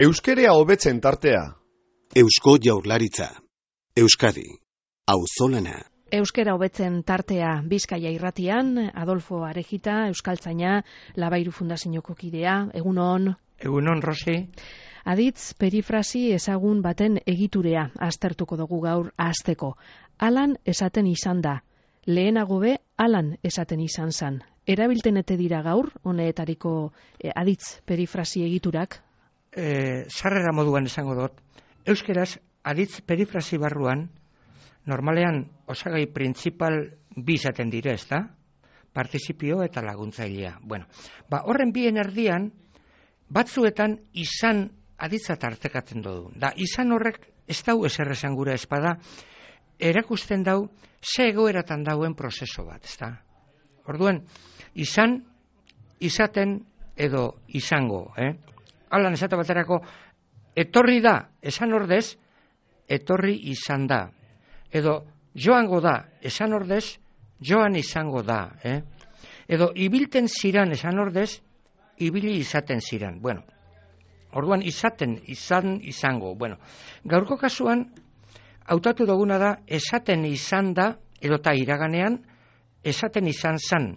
Euskerea hobetzen tartea. Eusko Jaurlaritza. Euskadi. Auzolana. Euskera hobetzen tartea Bizkaia irratian, Adolfo Arejita, euskaltzaina, Labairu Fundazioko kidea, egunon. Egunon, Rosi. Aditz perifrasi ezagun baten egiturea aztertuko dugu gaur hasteko. Alan esaten izan da. Lehenago be, alan esaten izan zan. Erabilten ete dira gaur, honetariko aditz perifrasi egiturak? Sarrera moduan esango dut. Euskeraz, aditz perifrasi barruan, normalean osagai printzipal bi izaten dire, ezta? Partizipio eta laguntzailea. Bueno, horren bien erdian, batzuetan izan aditza tartekatzen dugu. Da, izan horrek ez dau ezer esan gura espada, erakusten dau, ze egoeratan dauen prozeso bat, ezta? Orduan, izan, izaten edo izango, Alan esate baterako, etorri da, esan ordez, etorri izan da. Edo joango da, esan ordez, joan izango da. Edo ibilten ziran, esan ordez, ibili izaten ziran. Bueno, orduan izaten, izango. Bueno, gaurko kasuan, hautatu duguna da, esaten izan da, edota iraganean, esaten izan zan.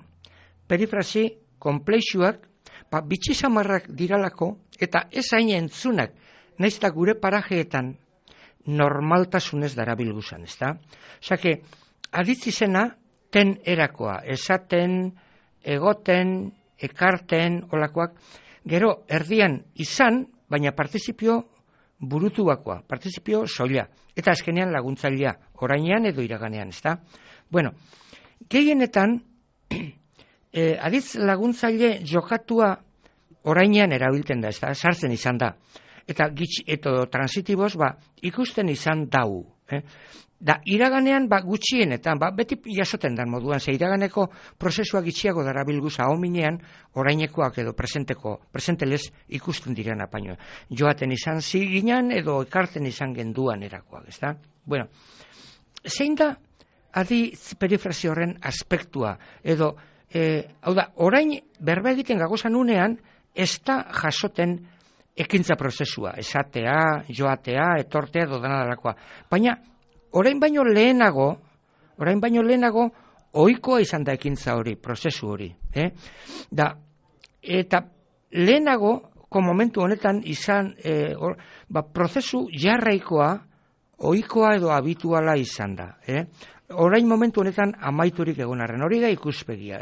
Perifrasi, konplexuak, bitxisamarrak diralako, eta ez hain entzunak, nahiz eta gure parajeetan normaltasunez darabilguzan, ezta? Osake, aditz izena ten erakoa, esaten, egoten, ekarten, olakoak, gero erdian izan, baina partizipio burutuakoa, partizipio soila, eta azkenean laguntzailea, orainean edo iraganean, ezta? Bueno, gehienetan, aditz laguntzaile jokatua orainean erabiltzen da, ezta? Sartzen izan da. Eta transitiboz, ikusten izan dau. Da, iraganean, gutxienetan, beti jasoten dan moduan, ze iraganeko prozesua gitxiago darabilguz ahominean, orainekoak edo presentelez ikusten diren apaino. Joaten izan ziginan edo ekarten izan genduan erakoak, ezta? Bueno, zein da aditz perifrasi horren aspektua, edo, hau da, orain berba egiten gagozan unean, ez da jasoten ekintza prozesua, esatea, joatea, etortea, edo dena dalakoa. Baina, orain baino lehenago, ohikoa izan da ekintza hori, prozesu hori. Eta lehenago, momentu honetan izan, prozesu jarraikoa, ohikoa edo habituala izan da. Orain momentu honetan amaiturik egonarren, hori da ikuspegia.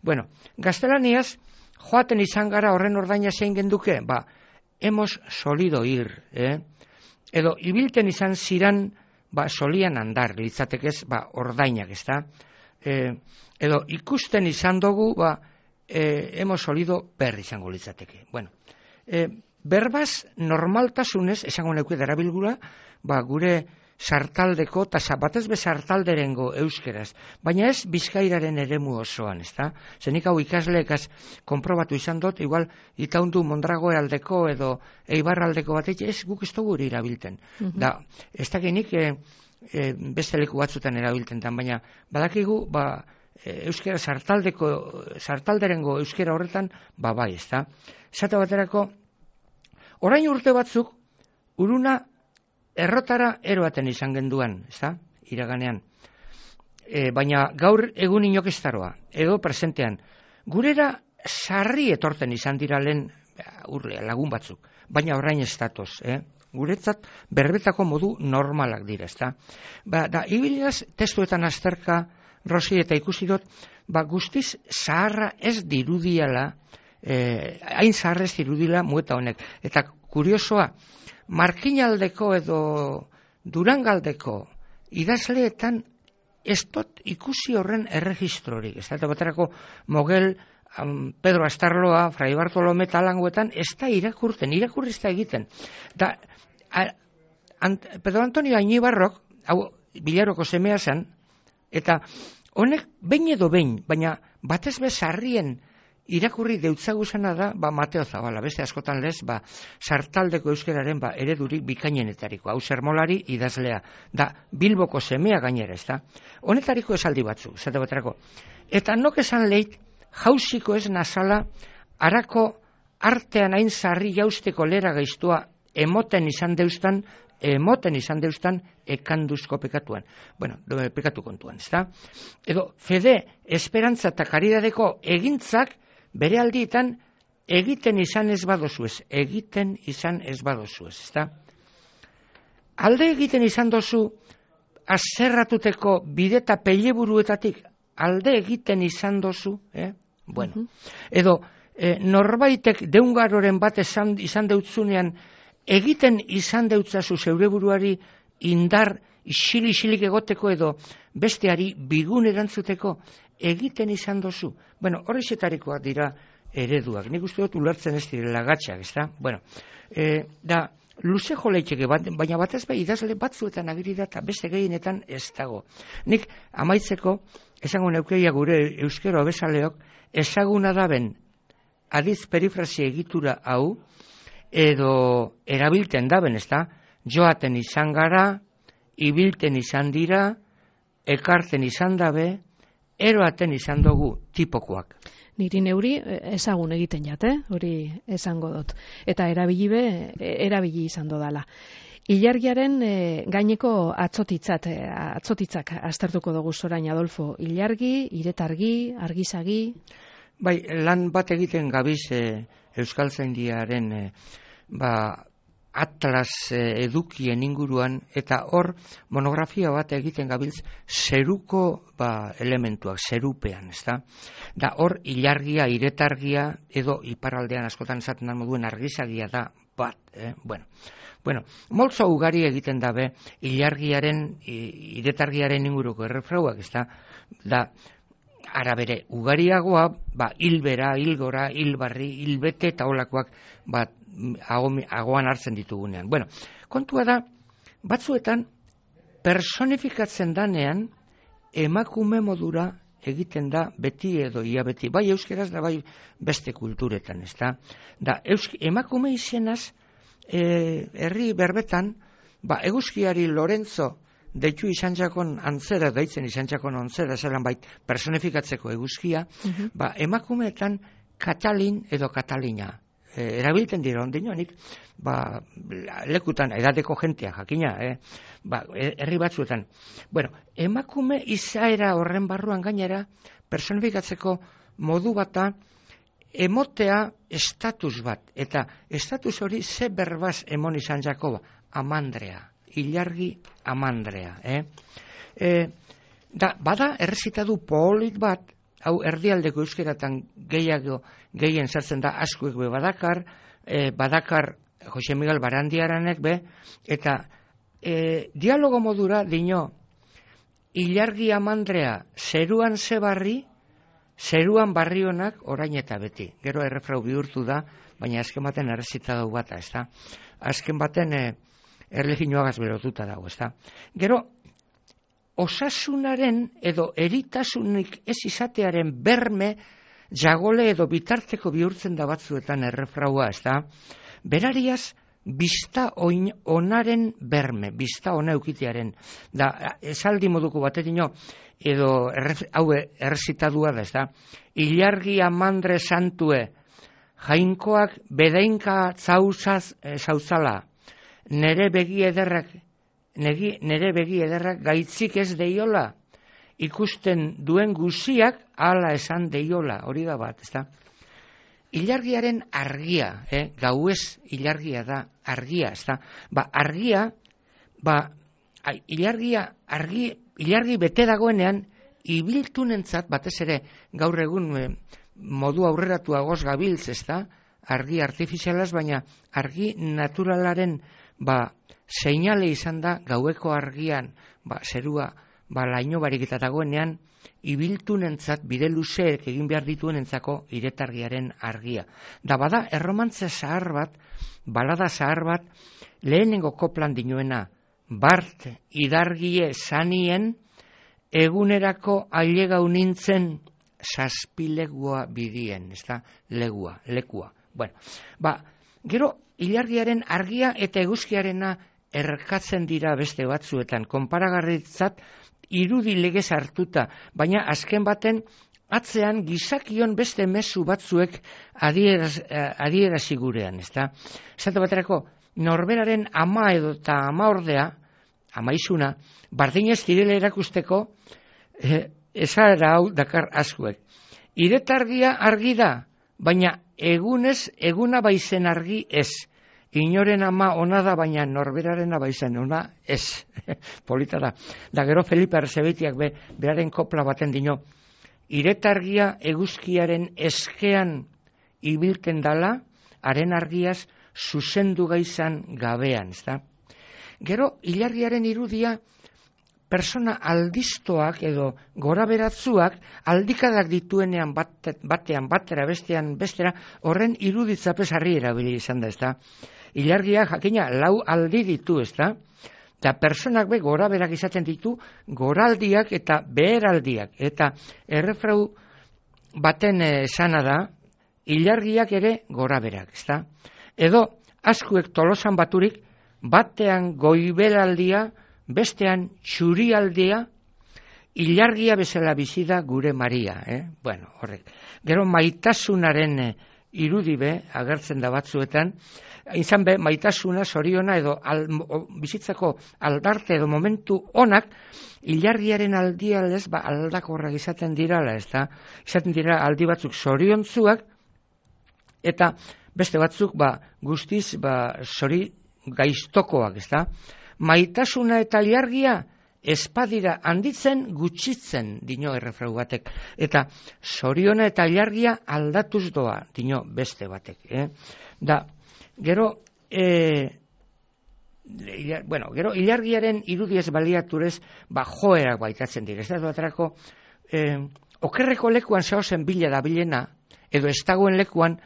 Bueno, gaztelaniaz, joaten izan gara horren ordaina zein genduke, hemos solido ir, edo ibilten izan ziran, solian andar, litzatekez, ordainak, ezta? Edo ikusten izan dugu, hemos solido per izango litzateke. Bueno, berbaz normaltasunez, esango neuke darabilgura, gure sartaldeko, eta batez be sartalderengo euskeraz, baina ez Bizkairaren eremu osoan, ezta? Zenik hau ikasleekaz konprobatu izan dut, igual itaundu Mondragoe aldeko edo Eibar aldeko batek, ez guk ez dugu hori erabilten. Da, ez dakinik beste leku batzutan erabilten dan, baina badakigu, euskera sartalderengo euskera horretan, bai, ezta? Zate baterako, orain urte batzuk, uruna errotara eroaten izan genduan, ezta? Iraganean. Baina gaur egun inokestaroa, edo presentean. Gurera sarri etorten izan dira lehen lagun batzuk, baina orain ez datoz. Guretzat berbetako modu normalak dira, ezta? Da, ibilaz testuetan azterka, Rosi, eta ikusi dut, guztiz zaharra ez dirudiala, hain zaharra ez dirudila mueta honek. Eta kuriosoa, Markinaldeko edo Durangaldeko idazleetan ez dut ikusi horren erregistrorik. Ez da, baterako Mogel, Pedro Astarloa, Fray Bartolome talangoetan ez da irakurri ez da egiten. Da, Pedro Antonio Añibarrok, hau Bilaroko semea zen, eta honek behin edo behin, baina batez bezarrien irakurri deutzaguzena da, Mateo Zabala, beste askotan lez, sartaldeko euskeraren eredurik bikainenetariko, hau Sermolari idazlea, da Bilboko semea gainera, ez da? Honetariko esaldi batzu, zate baterako. Eta nok esan leit, jauziko ez nazala, harako artean hain sarri jausteko lera gaiztua emoten izan deustan ekanduzko pekatuan. Bueno, pekatu kontuan, ezta? Edo, fede, esperantza eta karidadeko egintzak bere aldietan egiten izan ez badozuez, ezta? Alde egiten izan dozu azerratuteko bideta peleburuetatik, alde egiten izan dozu, Bueno, edo, norbaitek deungaroren bat izan deutzunean, egiten izan deutzazu zeure buruari indar isilik egoteko edo besteari bigun erantzuteko egiten izan dozu. Bueno, horrexetarikoak dira ereduak. Nik uste dut ulertzen ez direla gatxak, ezta? Bueno, da, luze joleitxeke, baina batez bai idazle batzuetan agiri da eta beste gehienetan ez dago. Nik amaitzeko, esango neukeia gure euskero abezaleok, ezaguna daben adiz perifrasi egitura hau, edo erabilten daben, ezta? Joaten izan gara, ibilten izan dira, ekarten izan dabe, eroaten izan dugu tipokoak. Niri neuri ezagun egiten jate, hori esango dut. Eta erabili izan dodala. Ilargiaren gaineko atzotitzak aztertuko dugu zorain, Adolfo. Ilargi, iretargi, argizagi. Bai, lan bat egiten gabiz Euskaltzaindiaren atlas edukien inguruan, eta hor monografia bat egiten gabiltz zeruko elementuak, zerupean, ezta? Da hor ilargia, iretargia, edo iparraldean askotan esaten da moduen argizagia da bat, Bueno, moltzo ugari egiten dabe ilargiaren, iretargiaren inguruko errefrauak, ezta? Da, arabere ugariagoa, hilbera, hilgora, hilbarri, hilbete eta olakoak agoan hartzen ditugunean. Bueno, kontua da, batzuetan personifikatzen danean emakume modura egiten da beti edo ia beti, bai euskeraz da bai beste kulturetan, ezta? Da, emakume izenaz, herri berbetan, eguzkiari Lorenzo deitu izan jakon antzera, deitzen izan jakon antzera, zelan bait personifikatzeko eguzkia, emakumeetan Katalin edo Katalina erabilten dira ondinonik, lekutan edateko jentea jakina, herri batzuetan. Bueno, emakume izaera horren barruan gainera personifikatzeko modu bata emotea estatus bat, eta estatus hori ze berbaz emon izan jako, amandrea, ilargi amandrea. Bada errezitadu polit bat, hau erdialdeko euskeratan gehien sartzen da askuek be badakar Jose Miguel Barandiaranek be, eta dialogo modura dino, ilargi amandrea, zeruan zebarri, zeruan barrionak orain eta beti. Gero errefrau bihurtu da, baina azken baten errezitadu bata, ezta? Azken baten erlegioagaz berotuta dago, ezta? Gero, osasunaren edo eritasunik ez izatearen berme jagole edo bitarteko bihurtzen da batzuetan errefraua, ezta? Berariaz, bizta onaren berme, bizta ona eukitearen. Da, esaldi moduko batetino, edo hau errezitadua da, ezta? Ilargi amandre santue, jainkoak bedeinka zauzala, nere begi ederrak gaitzik ez deiola, ikusten duen guziak hala esan deiola, hori da bat, ezta? Ilargiaren argia, gauez ilargia da, argia, ezta? Ilargi bete dagoenean, ibiltunentzat, batez ere, gaur egun modu aurreratuagoz gabiltz, ezta? Argi artifizialaz, baina argi naturalaren seinale izan da gaueko argian, zerua laino barik eta dagoenean, ibiltunentzat bide luzeek egin behar dituenentzako iretargiaren argia. Da bada erromantze zahar bat, balada zahar bat, lehenengo koplan dinoena, bart idargie zanien, egunerako ailegau nintzen zazpilegua bidien, ez da, lekua. Bueno, gero ilargiaren argia eta eguzkiarena erkatzen dira beste batzuetan, konparagarritzat irudi legez hartuta, baina azken baten atzean gizakion beste mezu batzuek adierazi gurean, ezta? Esate baterako, norberaren ama edo eta ama ordea, amaizuna, bardinez direla erakusteko, esara hau dakar askuek. Iretargia argi da, baina egunez, eguna baizen argi ez. Inoren ama ona da, baina norberaren baizen ona ez. Polita da. Da gero Felipe Arzebetiak beraren kopla baten dino, iretargia eguzkiaren eskean ibilten dala, haren argiaz zuzendu gaizan gabean, ezta? Gero, ilargiaren irudia, persona aldistoak edo goraberatzuak aldikadak dituenean batean, batera, bestean, bestera, horren iruditzapez harri erabili izan da, ezta? Ilargia jakina 4 aldi ditu, ezta? Eta personak goraberak izaten ditu, goraldiak eta beheraldiak. Eta errefrau baten esana da, ilargiak ere goraberak, ezta? Edo, askuek tolosan baturik, batean goibelaldia, bestean txurialdia, ilargia bezala bizi da gure Maria. Bueno, horrek. Gero maitasunaren irudi agertzen da batzuetan, izan maitasuna, zoriona edo bizitzako aldarte edo momentu onak, ilargiaren aldialez aldakorrak izaten dirala, ezta? Izaten dira aldi batzuk zoriontzuak, eta beste batzuk guztiz zori gaiztokoak, ezta? Maitasuna eta ilargia espadira handitzen gutxitzen, dino errefrau batek. Eta zoriona eta ilargia aldatuz doa, dino beste batek. Da, gero, gero ilargiaren irudiez baliaturez, joerak baitatzen dira. Ez da baterako, okerreko lekuan zehozen bila da bilena, edo ez dagoen lekuan,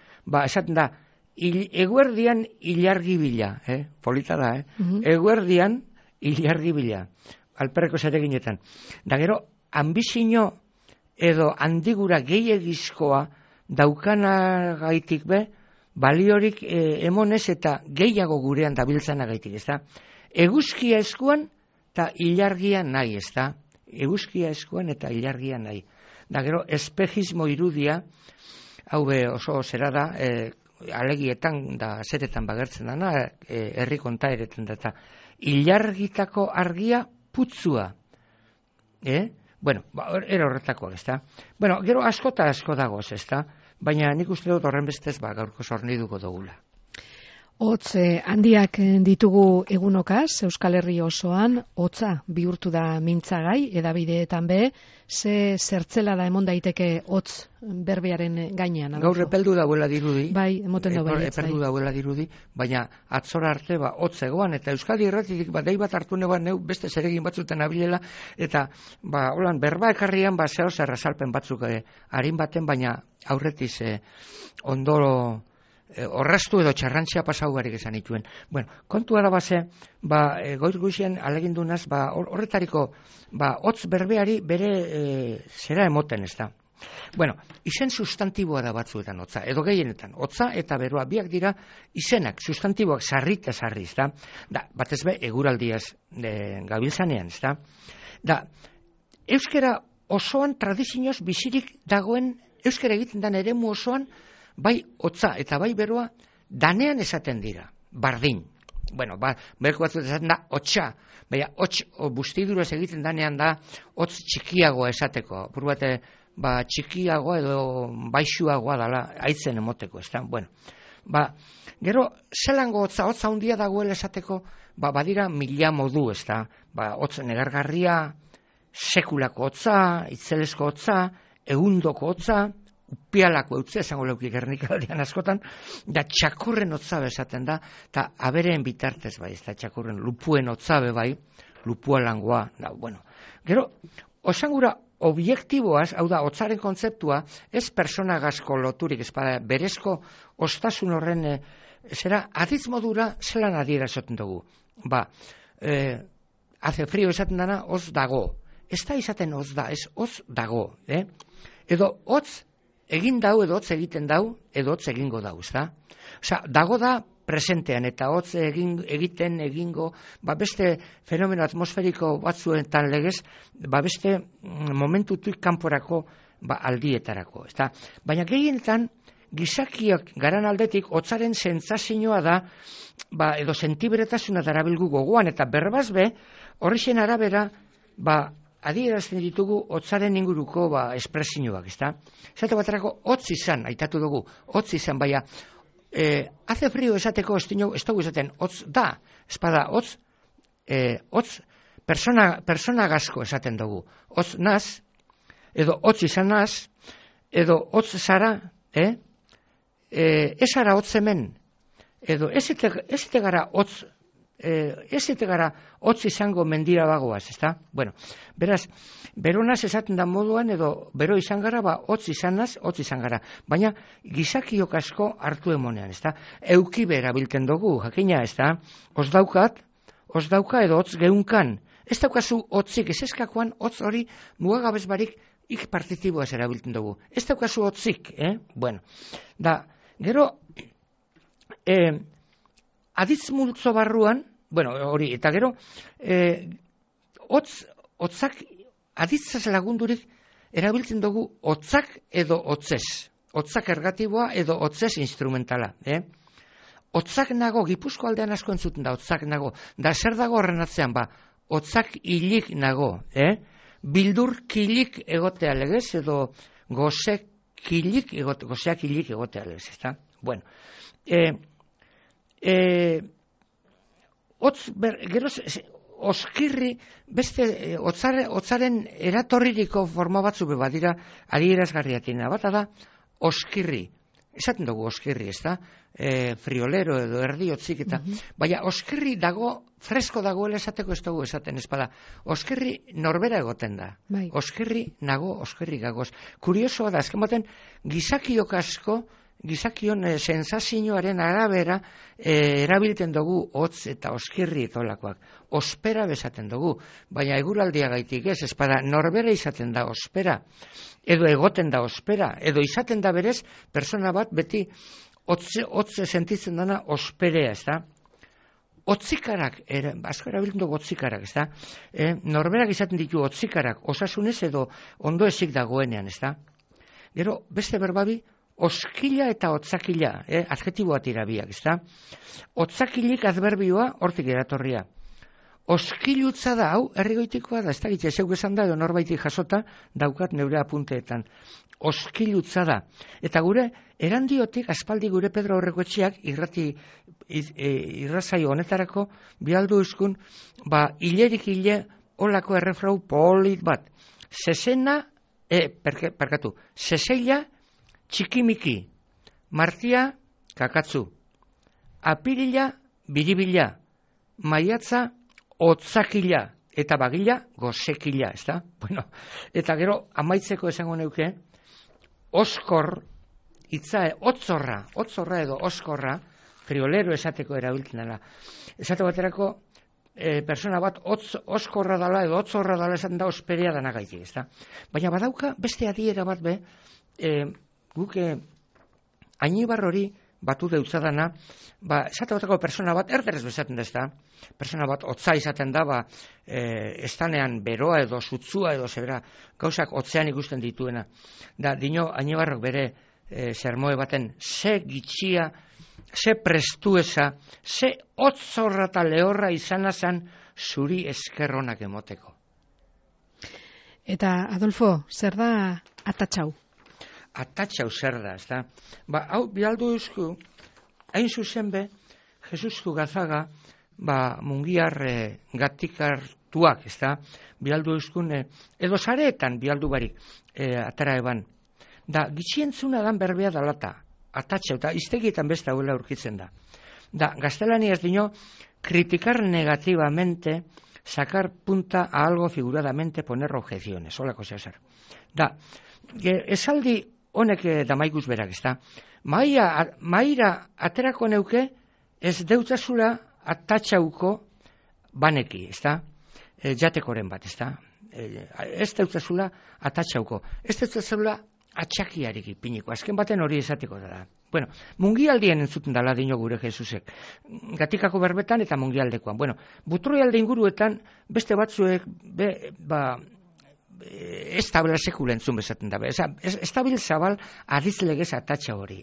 esaten da, eguerdian ilargi bila, polita da, eguerdian ilargi bila, alperreko zereginetan. Da gero, ambizino edo handigura gehiagizkoa daukanagaitik baliorik emonez eta gehiago gurean dabiltzanagaitik, ez da? Eguzkia eskuan eta ilargia nahi, ez da? Eguzkia eskuan eta ilargia nahi. Da gero, espejismo irudia, hau oso zera da, alegietan da zeretan bagertzen dana, herri kontaeretan da, eta ilargitako argia putzua. Bueno, era horretakoak, ez da? Bueno, gero asko eta asko dagoz, ez da? Baina nik uste dut horren bestez gaurko zorniduko dugula. Hotz handiak ditugu egunokaz, Euskal Herri osoan, hotza bihurtu da mintzagai, edabideetan ze zertzela da emon daiteke hotz berbearen gainean. Gaur epeldu dauela dirudi. Bai, emoten da bai. Epeldu dauela dirudi, baina atzora arte hotz egoan, eta Euskadi Irratitik dei bat hartu neban neu beste zeregin batzuten abilela, eta holan berba ekarrian zeo zer azalpen batzuk harin baten, baina aurretiz ondoro horraztu edo txarrantzia pasau barik esan ituen. Bueno, kontua da goiz guizien alegindunaz, horretariko, hotz berbeari bere zera emoten, ez da. Bueno, izen sustantiboa da batzuetan hotza, edo gehienetan, hotza eta beroa biak dira izenak, sustantiboak sarri eta sarri, ez da. Da, batez eguraldiaz gabiltzanean, ez da. Da, euskera osoan tradizioz bizirik dagoen, euskera egiten den eremu osoan, bai hotza eta bai beroa danean esaten dira, bardin. Bueno, berko batzut esaten da hotxa, baina hotx bustidurez egiten danean da hotz txikiagoa esateko, pur bate txikiagoa edo baixuagoa dala aitzen emoteko, ez da? Bueno, gero zelango hotza handia dagoela esateko, badira mila modu, ez da? Hotz negargarria, sekulako hotza, itzelesko hotza, egundoko hotza, upialako eutze, esango leuki Gernikaldian askotan, da txakurren hotzabe esaten da, eta abereen bitartez ez da txakurren, lupuen hotzabe lupualangoa, bueno. Gero, osangura objektiboaz, hau da, hotzaren kontzeptua, ez personagazko loturik, ez berezko ostasun horren, zera, aditz modura zelan adiera esaten dugu. Hace frío esaten dana, hoz dago. Ez da izaten hoz da, ez hoz dago. Edo hotz egin dau, edo hotz egiten dau, edo hotz egingo dau, ez da? Osa, dago da presentean, eta hotz egingo, beste fenomeno atmosferiko batzuetan legez, beste momentutik kanporako aldietarako, ezta? Baina gehienetan gizakiak garan aldetik hotzaren sentsazioa da, edo sentiberetasuna darabilgu gogoan, eta berbaz be, horrexen arabera, adierazten ditugu hotzaren inguruko espresioak, ezta? Esate baterako hotz izan, aitatu dugu, hotz izan, baina hace frío esateko ez dugu esaten hotz da, espada hotz persona gazko esaten dugu, hotz naz, edo hotz izan naz, edo hotz zara, ez ara hotz hemen, edo ez ete gara hotz izango mendira bagoaz, ezta? Bueno, beraz, beronaz esaten da moduan, edo bero izan gara, hotz izanaz, hotz izan gara. Baina, gizakiok asko hartu emonean, ezta? Eukibe erabiltzen dugu, jakina, ezta? Os dauka edo hotz geunkan. Ez daukazu hotzik, ez eskakoan hotz hori mugagabez barik ik partitiboaz erabiltzen dugu. Ez daukazu hotzik, Bueno, gero, aditz multzo barruan, hori, eta gero, hotzak aditzaz lagundurik erabiltzen dugu hotzak edo hotzez. Hotzak ergatiboa edo hotzez instrumentala. Hotzak nago, Gipuzko aldean asko entzuten da, hotzak nago. Da zer dago horren atzean, hotzak hilik nago. Bildur kilik egotea legez, edo gozeak hilik egotea legez, ezta? Bueno, gero oskirri, beste hotzaren eratorririko forma batzu badira adierazgarriatina. Bata da, oskirri. Esaten dugu oskirri, ez da? Friolero edo erdi hotzik eta. Baina oskirri dago, fresko dagoela esateko ez dugu esaten, ez bada. Oskirri norbera egoten da. Oskirri nago, oskirri gagoz. Kuriosoa da, azken baten, gizakiok asko, gizakion sensazioaren arabera erabiltzen dugu hotz eta oskirri etolakoak. Ospera bezaten dugu, baina eguraldia gaitik ez bada norbera izaten da ospera, edo egoten da ospera, edo izaten da berez, persona bat beti hotze sentitzen dana osperea, ez da? Hotzikarak, asko erabiltzen dugu hotzikarak, ez da? Norberak izaten ditu hotzikarak, osasunez edo ondo ezik dagoenean, ez da? Gero, beste berbabi, oskila eta hotzakila, adjetiboa tirabiak, ezta? Hotzakilik adverbioa hortik eratorria. Oskilutza da, hau, herrigoitikoa da, ez da gitxe, zeuk esan da, edo norbaitik jasota, daukat neure apunteetan. Oskilutza da. Eta gure, erandiotik, aspaldi gure Pedro Aurrekoetxeak, irrazaio honetarako, bialdu euskun, hilerik hile, olako errefrau polit bat. Seseila, txikimiki, martia, kakatzu, apirila, biribila, maiatza, hotzakila, eta bagila, gozekila, ez da? Bueno, eta gero, amaitzeko esango neuke, oskor, hotzorra edo oskorra, friolero esateko erabiltzen dela. Esate baterako, persona bat oskorra dala edo hotzorra dala esaten da osperea dana gaitik, ez da? Baina badauka, beste adiera bat be, guke Ainibar hori batu deutzadana, esate bateko persona bat erderez bezaten da, ez da? Persona bat hotza izaten da, estanean beroa edo sutzua edo zebera, gauzak hotzean ikusten dituena. Da, dino Ainibarrok bere sermoe baten, ze gitxia, ze prestuesa, ze hotzorra eta lehorra izanazan zuri eskerronak emoteko. Eta, Adolfo, zer da atatxau? Atatxau zer da, ez da? Hau, bialdu eusku, hain zuzen be, Jesustu Gazaga, mungiar gatikartuak, ez da? Bialdu euskun, edo zareetan bialdu barik, atara eban. Da, gitxientzuna dan berbea dalata, atatxau, eta iztegietan beste hauela aurkitzen da. Da, gaztelaniaz dino, criticar negativamente, sacar punta a algo figuradamente, poner objeciones, holako zehazar. Da, esaldi honek damaikuz berak, ez da. Maira aterako neuke, ez deutzazula atatxauko baneki, ez da. Jatekoren bat, ez da. Ez deutzazula atatxauko. Ez deutzazula atxakiarik ipiniko. Azken baten hori esatiko da. Bueno, mungialdien entzuten dala dino gure Jesusek. Gatikako berbetan eta mungialdekoan. Bueno, butroialde inguruetan beste batzuek ez tabela sekulentzun bezaten dabe. Ez tabil zabal adiz legez atatxa hori.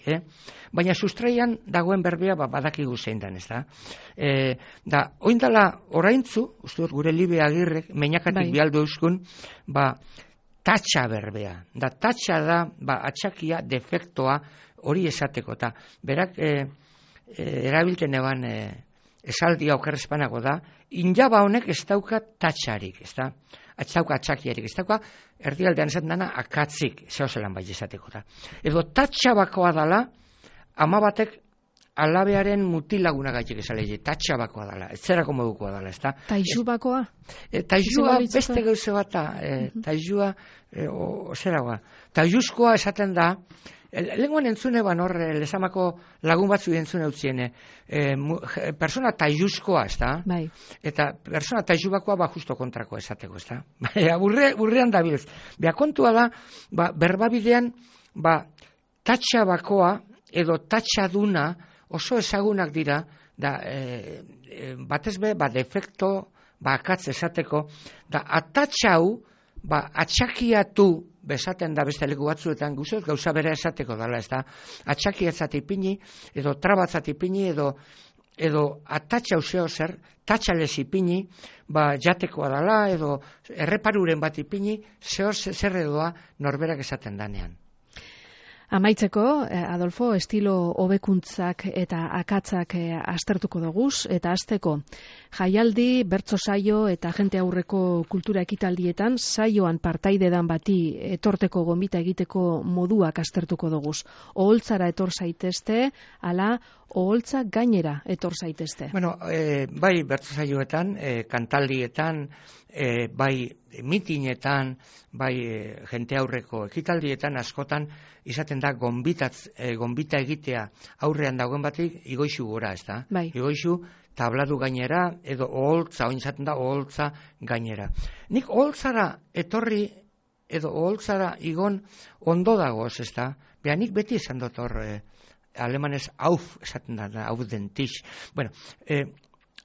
Baina sustraian dagoen berbea badakigu zein dan, ez da? Da, oindala oraintzu, uste dut gure Libe Agirrek, meinakatik bialdu euskun, tatxa berbea. Da, tatxa da, atxakia, defektoa, hori esateko. Ta, berak, erabilten eban esaldia okerrezpanago da, injaba honek ez dauka tatxarik, ez da? Ez dauka atxakiarik, ez dauka erdialdean esaten dana akatzik, zehozelan bai esateko da. Edo tatxabakoa dala, ama batek alabearen mutilaguna gaitik esalegi, tatxabakoa dala, ez zerako modukoa dala, ez da? Taixubakoa? Taixua beste gauze bat da, taixua, zeragoa. Taixuzkoa esaten da, lenguan entzune ban hor, lesamako lagun batzu entzune utziene, persona taixuzkoa, ez da? Bai. Eta persona taixubakoa justo kontrako esateko, ez da? Burrean dabilez. Bea kontua da, berbabidean, tatxabakoa edo tatxaduna oso ezagunak dira, da, batez be, defekto, akatz esateko, da, atatxau, atxakiatu bezaten da beste leku batzuetan gauza bera esateko dala, ez da, atxakiatzat ipini, edo trabatzat ipini, edo atatxau zeo zer, tatxalez ipini, jatekoa dala, edo erreparuren bat ipini, zeo zer edoa norberak esaten danean. Amaitzeko, Adolfo, estilo hobekuntzak eta akatzak aztertuko doguz, eta hasteko jaialdi, bertso saio eta jente aurreko kultura ekitaldietan saioan partaidedan bati etorteko gonbita egiteko moduak aztertuko doguz. Oholtzara etor zaitezte, ala oholtza gainera etor zaitezte. Bueno, bai bertso saioetan, kantaldietan, bai mitinetan, bai jente aurreko ekitaldietan askotan izaten da gonbita egitea aurrean dagoen batik igoizu gora, ez da? Bai. Igoizu tabladu gainera edo oholtza, oin izaten da oholtza gainera. Nik oholtzara etorri edo oholtzara igon ondo dagoz, ez da? Beha nik beti esan dut hor, alemanez auf esaten da, auf den tisch. Bueno,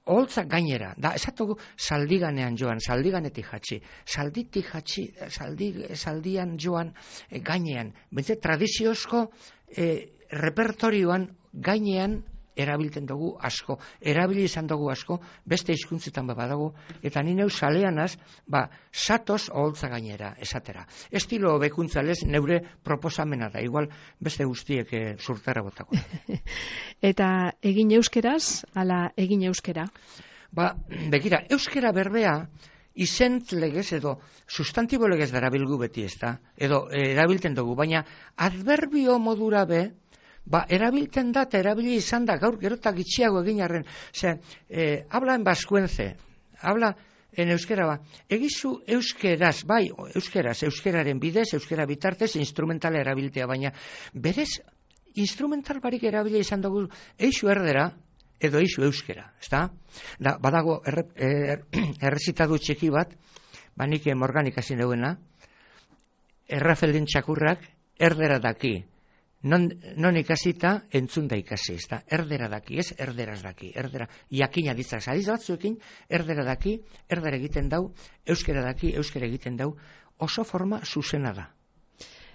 oholtza gainera, da, esatugu saldiganean joan, saldiganetik jatsi, saldian joan gainean, bentze tradiziozko repertorioan gainean erabiltzen dugu asko, erabili izan dugu asko, beste hizkuntzetan badago, eta ni neu saleanaz, satoz oholtza gainera, esatera. Estilo bekuntzalez neure proposamena da, igual beste guztiek zurtara botako. Eta egin euskeraz, ala egin euskera? Begira, euskera berbea, izent legez edo sustantibo legez darabilgu beti, ez da? Edo erabiltzen dugu, baina adverbio modura be, erabiltzen da eta erabili izan da, gaur gerotak itxiago egin arren. Habla en baskuenze, habla en euskera egizu euskeraz, bai, euskeraren bidez, euskera bitartez, instrumentala erabiltea, baina berez, instrumental barik erabili izan dugu, eixu erdera, edo eixu euskera, ez da? Badago errezitadu txeki bat, nik Morganik hasi neuena, Errafeldin txakurrak erdera daki, non ikasita entzun da ikasi, ez da? Erdera daki, ez erderaz daki, erdera, jakina ditzak, adiz batzuekin, erdera daki, erdera egiten dau, euskera daki, euskera egiten dau, oso forma zuzena da.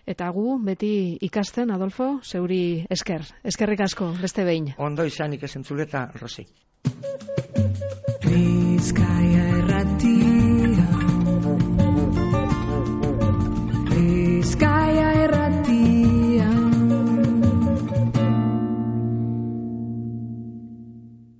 Eta gu, beti ikasten, Adolfo, zeuri eskerrik asko, beste behin. Ondo izanik esentzuleta, Rosi. Bizkaia Irratia